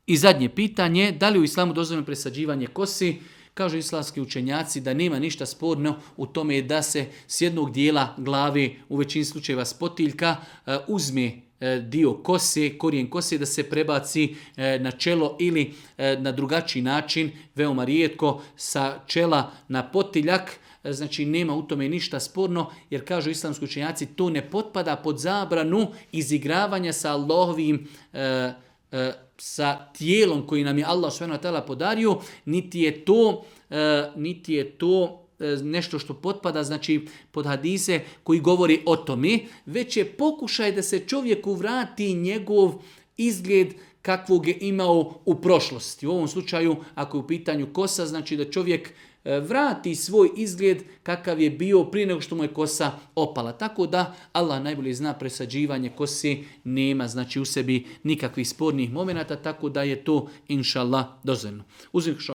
I zadnje pitanje, da li u islamu dozvoljeno presađivanje kosi? Kažu islamski učenjaci da nema ništa sporno u tome da se s jednog dijela glave, u većini slučajeva s potiljka, uzme dio kose, korijen kose da se prebaci na čelo ili na drugačiji način, veoma rijetko sa čela na potiljak. Znači nema u tome ništa sporno jer kažu islamski učenjaci to ne potpada pod zabranu izigravanja sa Allahovim sa tijelom koji nam je Allah subhanahu wa ta'ala podario, niti je to nešto što potpada znači pod hadise koji govori o tome, već je pokušaj da se čovjeku vrati njegov izgled kakvog je imao u prošlosti. U ovom slučaju, ako je u pitanju kosa, znači da čovjek vrati svoj izgled kakav je bio prije nego što mu je kosa opala. Tako da Allah najbolje zna, presađivanje kose nema znači u sebi nikakvih spornih momenata, tako da je to inša Allah dozvoljeno.